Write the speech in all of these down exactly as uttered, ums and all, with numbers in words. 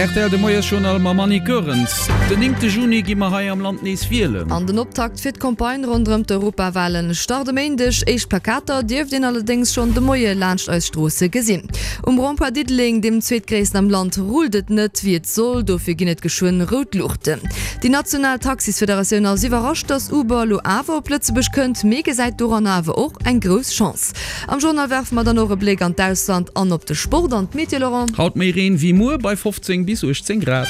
Rtl de Moiesjournal mam Annie Goerens. Den néngte Juni gi mer hei am Land nees wielen. An den Optakt fir d'Campagne ronderëm d'Europawalen start e Méindeg. Éischt Plakater dierft een allerdéngs schonn de Moie laanscht eis Stroosse gesinn. Um Rond-point Diddeleng, deem zweetgréissten am Land, rullt et net wéi et soll. Dofir ginn et geschwënn rout Luuchten. Déi national Taxisfederatioun ass iwwerrascht, datt Uber elo awer op Lëtzebuerg kënnt, mee gesäit doranner awer och eng grouss Chance. Am Journal werfe mer dann och e Bléck an d'Ausland an op de Sport an d'Meteo, Laurent. Haut méi Reen wéi muer, bei fofzéng bis uechtzéng Grad.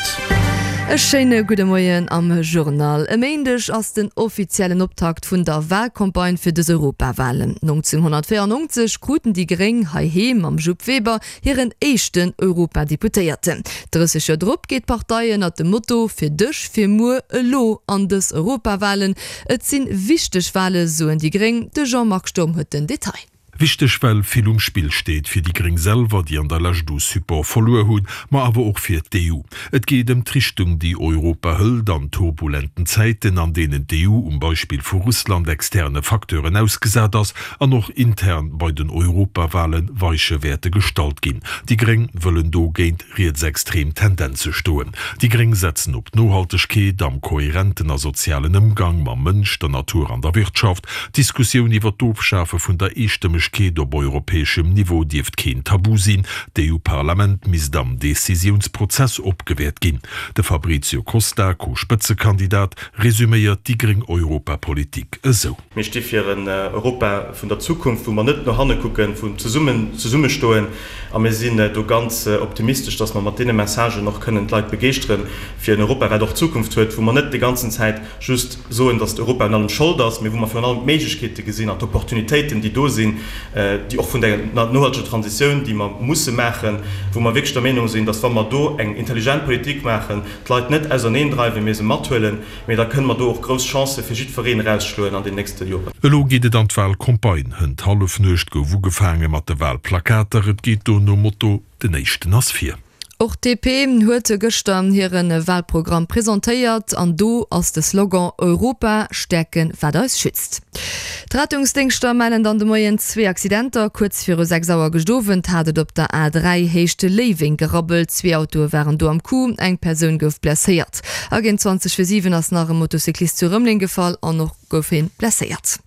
E schéine gudde Moien am Journal. E Méindeg ass den offiziellen Optakt vun der Walcampagne fir dës Europawalen. nonzénghonnertvéierennonzeg kruten déi Gréng heiheem mam Jupp Weber hiren éischten Europadeputéierten. drësseg Joer drop geet d'Partei ënnert dem Motto Fir dech, fir muer elo an dës Europawalen. Et si wichteg Wale soen déi Gréng. De Jean-Marc Sturm huet den Detail. Wichteg well vill um Spill steet, fir déi Gréng selwer, déi an der Lescht u Support verluer hunn, ma awer och fir d'EU. Et geet ëm d'Richtung, déi Europa hëlt an turbulenten Zäiten, an deenen d'EU um Beispill vu Russland externe Facteuren ausgesat ass an och intern bei den Europawale Weiche wäerte gestallt ginn. Déi Gréng wëllen do géint rietsextrem Tendenze stoen. Déi Gréng setzen op Nohaltegkeet am kohärenten a sozialen Ëmgang mam Mënsch, der Natur an der Wirtschaft. D'Diskussioun iwwer d'Ofschafe vun der Eestëmmegkeet op europäeschem Niveau dierft keen Tabu sinn. D'EU-Parlament misst am Decisiounsprozess opgewäert ginn. De Fabrizio Costa, Co-Spëtzekandidat, resuméiert déi gréng Europapolitik esou. Mir sti fir en Europa vun der Zukunft, wou mer net no hanne kucken, wou zesummen zesummestoen. A mir sinn do ganz optimistesch, dass mer mat deene Messagen och kënnen d'Leit begeeschteren fir en Europa, wat och Zukunft huet, wou mer net déi ganzen Zäit just soen, dass Europa un allem Schold ass, mee wou mer virun allem d'Méiglechkeete gesinn an d'Opportunitéiten, déi do sinn, déi och vun der nohalteger Transitioun, déi mer musse maachen, wou mer wierklech der Meenung sinn, dass wa mer do eng intelligent Politik maachen, d'Leit net auserneendreiwen, mee se mathuelen, mee da kënne mer do och grouss Chancë fir jiddwereen erausschloen an den nächste Joren. Elo geet et an d'Walcampagne. Hënt Hallefnuecht gouf ugefaange mat de Walplakater. Et geet do nom Motto, Den Éischten ass vir. Och d'DP huet gëschter hire Walprogramm presentéiert an do ass de Slogan Europa stäerken, wat eis schützt. D'Rettungsdéngschter mellen dann de Moien zwee Accidenter. Kuerz viru sechs Auer gëscht Owend hat et op der A dräi Héicht Léiweng gerabbelt. Zwee Autoe waren do am Coup, eng Persoun gouf blesséiert. A géint zwanzeg vir siwen ass nach e Motocyclist zu Rëmeleng gefall an och gouf hien blesséiert.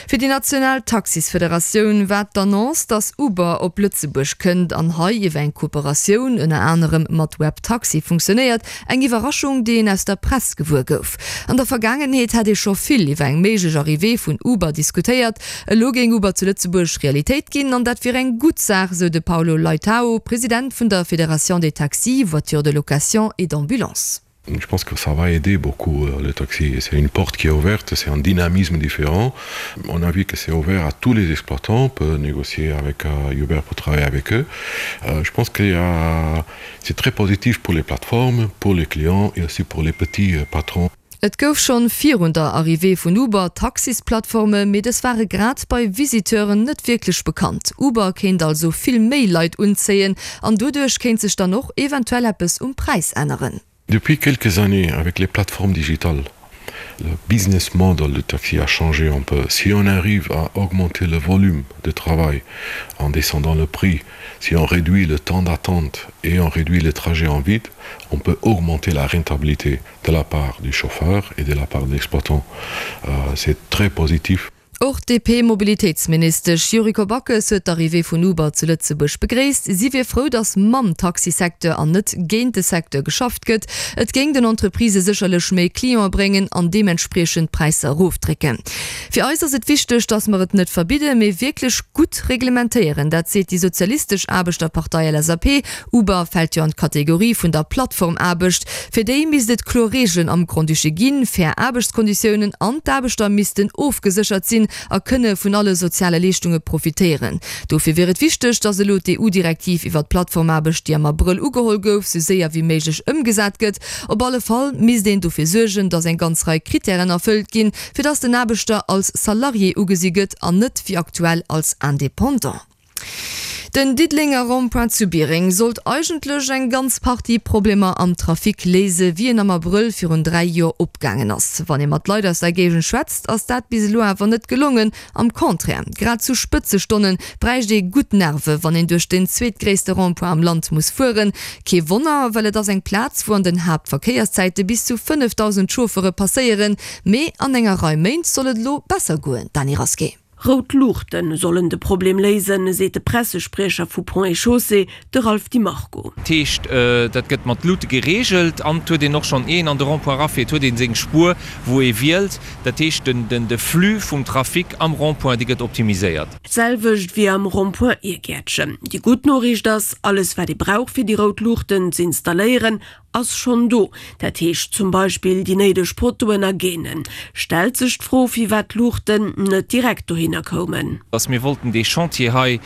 Fir déi national Taxisfederatioun war d'Annonce, dass Uber op Lëtzebuerg kënnt an hei iwwer eng Kooperatioun ënner anerem mat Webtaxi funktionéiert, eng Iwwerraschung, déi een aus der Press gewuer gouf. An der Vergaangenheet hätt ee scho vill iwwer eng méiglech Arrivée vun Uber diskutéiert. Elo géing Uber zu Lëtzebuerg Realitéit ginn an dat wier eng gutt Saach, sou de Paulo Leitao, President vun der Fédération des taxis, voitures de location et d'ambulance. Je pense que ça va aider beaucoup euh, le taxi. C'est une porte qui est ouverte, c'est un dynamisme différent. On a vu que c'est ouvert à tous les exploitants, on peut négocier avec euh, Uber pour travailler avec eux. Euh, je pense que c'est très positif pour les plateformes, pour les clients et aussi pour les petits euh, patrons. Et gouf schonn virun der Arrivée vun Uber Taxisplattformen, mee dës ware grad bei Visiteuren net wierklech bekannt. Uber kéint also vill méi Leit unzéien an doduerch kéint sech dann och eventuell eppes um Präis änneren. Depuis quelques années, avec les plateformes digitales, le business model du taxi a changé un peu. Si on arrive à augmenter le volume de travail en descendant le prix, si on réduit le temps d'attente et on réduit les trajets en vide, on peut augmenter la rentabilité de la part du chauffeur et de la part de l'exploitant. Euh, c'est très positif. Och d'DP-Mobilitéitsministesch Yuriko Backes huet d'Arrivée vun Uber zu Lëtzebuerg begréisst. Si wier frou, datt mam Taxisecteur an net géint de Secteur geschafft gëtt. Et géing den Entreprisë sécherlech méi Cliente bréngen an deementspriechend d'Präisser erofdrécken. Fir eis ass et wichteg, datt mer et net verbidden, mee wierklech gutt reglementéieren. Dat seet déi Sozialistesch Aarbechterpartei, LSAP. Uber fält jo an d'Kategorie vun der Plattformaarbecht. Fir déi misst et kloer Reegelen am Grand-Duché ginn, fair Aarbechtskonditiounen an d'Aarbechter missten ofgeséchert sinn a kënne vun alle soziale Leeschtunge profitéieren. Dofir wier et wichteg, datt elo d'EU-Direktiv iwwer d'Plattformaarbecht, déi am Abrëll ugeholl gouf, sou séier wéi méiglech ëmgesat gëtt. Op alle Fall misst een dofir suergen, datt eng ganz Rei Krittären erfëllt ginn, fir datt den Aarbechter als Salarié ugesi gëtt an net wéi aktuell als Independant. Den Diddelenger Rond-point zu Biereng sollt eigentlech eng ganz Partie Problemer am Trafic léise wéi en am Abrëll virun dräi Joer opgaangen ass. Wann ee mat Leit aus der Géigend schwätzt, ass dat bis elo awer net gelongen. Am Contraire, grad zu Spëtzestonne bräicht ee gutt Nerve wann een duerch den zweetgréisste Rond-point am Land muss fueren. Kee Wonner, well et ass eng Plaz wou an den Haaptverkéierszäite bis zu fënnefdausend Chauffere passéieren. Mee an enger Rei Méint soll et elo besser goen, Dany Rasqué. Rout Luuchte sollen de Problem léisen, seet de Pressespriecher vu Ponts et Chaussées, de Ralph Di Marco. Dat heescht, dat gëtt mat Luute gereegelt an et huet een och schonn, ier een an de Rond-point erafiert, huet ee seng Spuer, wou ee wielt. Dat heescht, de Flux vum Trafic am Rond-point, dee gëtt optimiséiert. D'selwecht wéi am Rond-point Irgäertchen. Déi gutt Noriicht ass, alles wat ee brauch fir déi rout Luuchten z'installéieren, ass schonn do, dat heescht zum Beispill déi néideg Pottoen a Gainen. Stellt sech d'Fro, firwat d'Luuchten net direkt dohinner koumen. Dass mir wollten dee Chantier hei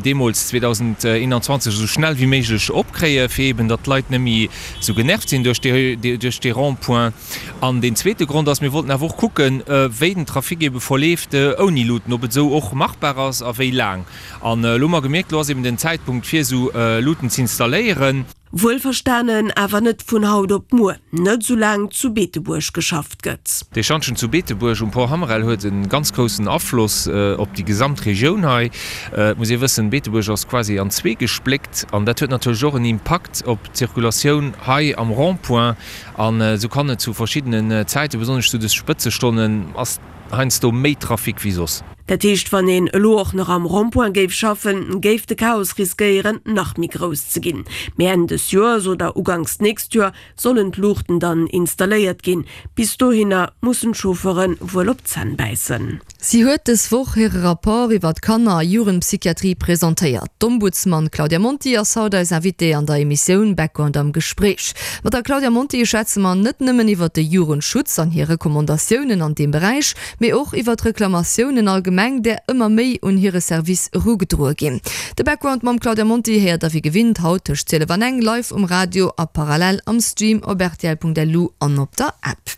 deemools zweedausendeenanzwanzeg esou schnell wéi méiglech opkréien, fir eeben datt d'Leit net méi esou genervt sinn duerch dee Rond-point. An deen zweete Grond ass, mir wollten awer och kucken, wéi den Trafic eebe verleeft ouni Luuten, ob et esou och machbar ass a wéi laang. An elo hu mer gemierkt, elo ass eeben den Zäitpunkt fir esou Luuten z'installéieren. Wuelverstanen awer net vun haut op muer, net soulaang zu Beetebuerg geschafft gëtt. Dee Schantjen zu Beetebuerg um Pont Hammerel huet e ganz groussen Afloss op déi gesamt Regioun hei. Et muss ee wëssen, Beetebuerg ass quasi an zwee gespléckt an dat huet natierlech och en Impakt op d'Zirkulatioun hei am Rond-point. An esou kann et zu verschiddenen Zäiten, besonnesch zu de Spëtzestonnen, ass heiansdo méi Trafic wéi soss. Dat heescht, wann een elo och nach am Rond-point géif schaffen, géif de Chaos riskéieren, nach méi grouss ze ginn. Mee Enn des Joers oder uganks d'nächst Joer sollen d'Luuchten dann installéiert ginn. Bis dohinner mussen d'Chauffeure wuel op d'Zänn bäissen. Si huet dës Woch hire Rapport iwwer d'Kanner a Jugendpsychiatrie presentéiert. D'Ombudsman Claudia Monti ass haut eis Invitée an der Emissioun Background am Gespréich. Mat der Claudia Monti schwätze mer net nëmmen iwwer de Jugendschutz an hir Recommandatiounen an deem Beräich, mee och iwwer d'Reklamatiounen allgemeng, där ëmmer méi un hire Service erugedroe ginn. De Background mam Claudia Monti héiert der wéi gewinnt haut tëscht zwielef an eng live um Radio a parallel am Stream op rtl.lu an op der App.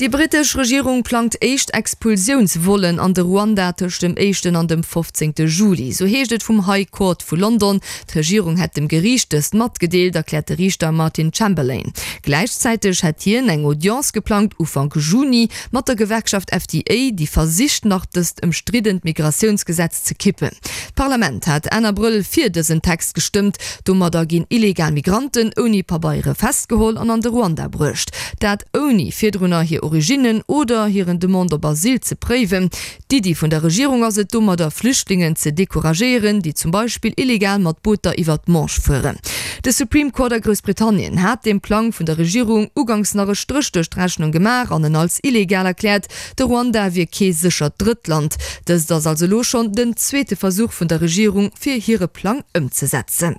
Déi brittesch Regierung plangt éischt Expulsiounsvollen an de Ruanda tëscht dem éischten an dem fofzéngte Juli. Sou heescht et vum High Court vu London. D'Regierung hätt dem Geriicht dëst matgedeelt, erkläert de Riichter Martin Chamberlain. Gläichzäiteg hätt hien eng Audience geplangt Ufank Juni mat der Gewerkschaft F T A, déi versicht nach dëst ëmstriddent Migratiounsgesetz ze kippen. D'Parlament hat Enn Abrëll fir dësen Text gestëmmt. Domadder ginn illegal Migranten ouni Pabeiere festgeholl an an de Ruanda bruecht. Dat ouni virdrunner hir Originnen oder hiren Demande op Asyl ze préiwen. D'Iddi vun der Regierung ass et domadder Flüchtlingen ze decouragéieren, déi zum Beispill illegal mat Booter iwwer d'Manche fueren. De Supreme Court a Groussbritannien hat dem Plang vun der Regierung uganks nach e Stréch duerch d'Rechnung gemaach an en als illegal erkläert. De Ruanda wier kee séchert Drëttland. Dëst ass also elo schonn den zweete Versuch vun der Regierung fir hire Plang ëmzesetzen.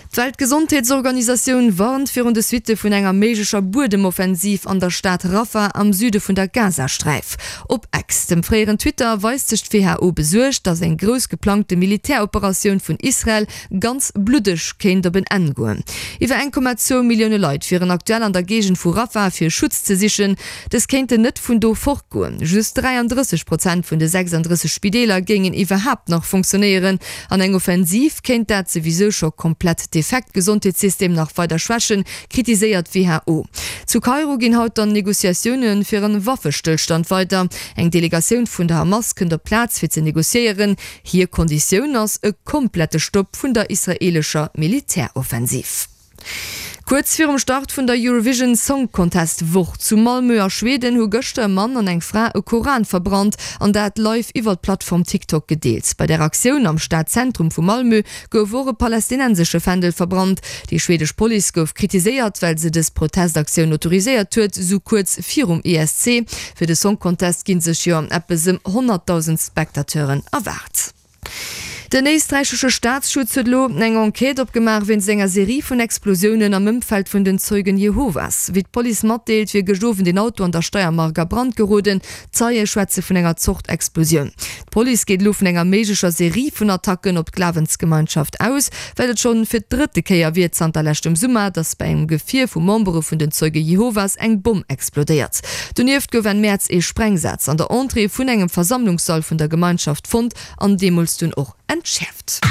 D'Weltgesondheetsorganisatioun warnt virun de Suitte vun enger méiglecher Buedemoffensiv an der Stad Rafah am Süde vun der Gazasträif. Op X, dem fréieren Twitter, weist sech d'W H O besuergt, datt eng grouss geplangte Militäroperatioun vun Israel ganz bluddeg kéint op en Enn goen. Iwwer eng Komma zwou Millioune Leit wieren aktuell an der Géigend vu Rafah fir Schutz ze sichen. Dës kéinten net vun do fortgoen. Just dräiandrësseg Prozent vun de sechsandrësseg Spideeler géingen iwwerhaapt nach funktionéieren. An eng Offensiv kéint dat souwisou scho komplett defekt Gesondheetssystem nach weider schwächen, kritiséiert d'W H O. Zu Kairo ginn haut dann Negociatioune fir en Waffestëllstand weider. Eng Delegatioun vun der Hamas kënnt op d'Plaz fir ze negociéieren. Hir Konditioun ass e komplette Stopp vun der israeelescher Militäroffensiv. Kuerz virum Start vun der Eurovision Song Contest Woch zu Malmö a Schweden hu gëschter e Mann an eng Fra e Koran verbrannt an dat live iwwer d'Plattform TikTok gedeelt. Bei der Aktioun am Stadzentrum vu Malmö gouf och e palästinensesche Fändel verbrannt. Déi schwedesch Police gouf kritiséiert, well se dës Protestaktioun autoriséiert huet, sou kuerz virum E S C. Fir de Song Contest gi sech jo eppes ëm honnertdausend Spectateuren erwaart. Den éisträichesche Staatsschutz huet elo eng Enquête opgemaach wéinst enger Serie vun Explosiounen am Ëmfeld vun den Zeugen Jehovas. Wéi d'Police matdeelt, wier gëscht Owend een Auto an der Steiermark a Brand geroden. Zeie schwätze vun enger Zort Explosioun. D'Police geet elo vun enger méiglecher Serie vun Attacken op d'Glawensgemeinschaft aus, well et schonn fir d'drëtte Kéier wier zanter leschtem Summer, datt bei engem Gefier vu Membere vun den Zeuge Jehovas eng Bomm explodéiert. Donieft gouf Enn Mäerz ee Sprengsaz an der Entrée vun engem Versammlungssall vun der Gemeinschaft fonnt an deemools dunn och entschäerft.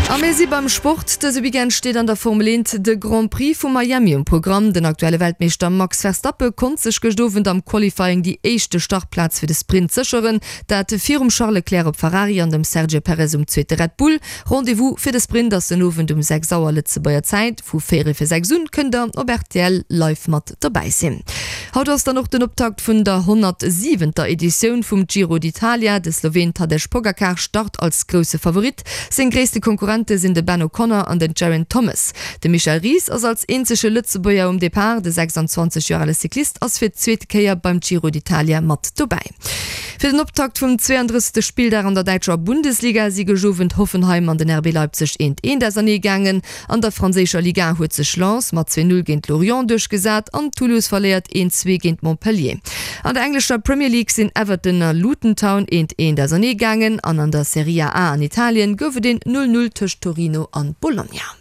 A mir si beim Sport, Dëse Weekend steet an der Formel eent de Grand Prix vu Miami um Programm. Den aktuelle Weltmeeschter Max Verstappen konnt sech gëscht Owend am Qualifying déi éischte Startplaz fir de Sprint sécheren, dat virum Charles Leclerc op Ferrari an dem Sergio Perez um zweete Red Bull. Rendez-vous fir de Sprint ass den Owend um sechs Auer Lëtzebuerger Zäit. Vu véierel fir sechs un kënnt der op rtl live mat dobäi sinn. Haut ass dann och den Optakt vun der honnertsiwenter Editioun vum Giro d'Italia. De Sloween Tadej Pogacar start als grousse Favorit. Seng gréisste Konkurrente sinn de Ben O'Connor an den Geraint Thomas. De Michel Ries ass als eenzege Lëtzebuerger um Depart. De sechsundzwanzeg Joer ale Cyclist ass fir d'zweete Kéier beim Giro d'Italia mat dobäi. Fir den Optakt vum zweeandrëssegste Spilldag an der däitscher Bundesliga si gëscht Owend Hoffenheim an den R B Leipzig eent eent ausernee gaangen. An der franséischer Liga huet sech Lens mat zwee Null géint Lorient duerchgesat an Toulouse verléiert eent zwee géint Montpellier. An der englescher Premier League sinn Everton a Luton Town eent eent ausernee gaangen an an der Serie A an Italien gouf et een Null Null tëscht Torino an Bologna.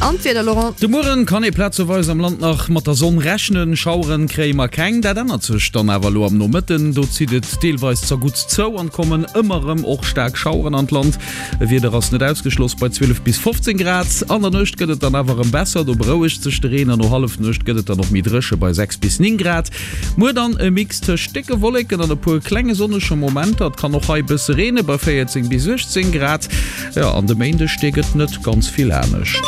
An d'Wieder, Laurent? De Mueren kann ee plazeweis am Land nach mat der Sonn rechnen, Schaueren kréie mer keng. Dat ännert sech dann awer elo am Nomëtten, do zitt et deelweis zerguttst zou an kommen ëmmer erëm och staark Schaueren an d'Land. E Wieder ass net ausgeschloss bei zwielef bis fofzéng Grad. An der Nuecht gëtt et dann awer erëm besser, do berouegt sech de Reen an no Hallefnuecht gëtt et dann och méi dréche bei sechs bis néng Grad. Muer dann e Mix tëscht décke Wolleken an e puer klenge sonnege Momenter, et kann och hei e bësse reene bei véierzéng bis uechtzéng Grad. Jo, an de Méindeg, dee gëtt net ganz vill anescht.